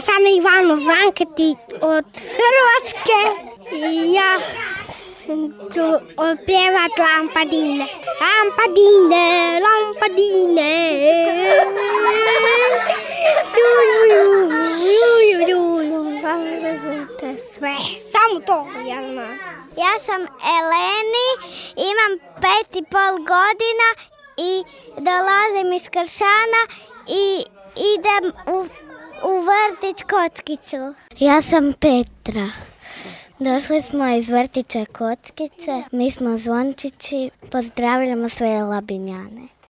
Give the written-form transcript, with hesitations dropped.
sam Ivano Zanketić od Hrvatske i ja ću otpjevat Lampadine. Lampadine, lampadine, sve, samo to ja znam. Ja sam Eleni, imam 5,5 godina i dolazim iz Kršana i idem u vrtić Kockicu. Ja sam Petra. Došli smo iz vrtića Kockice, mi smo zvončići, pozdravljamo sve Labinjane.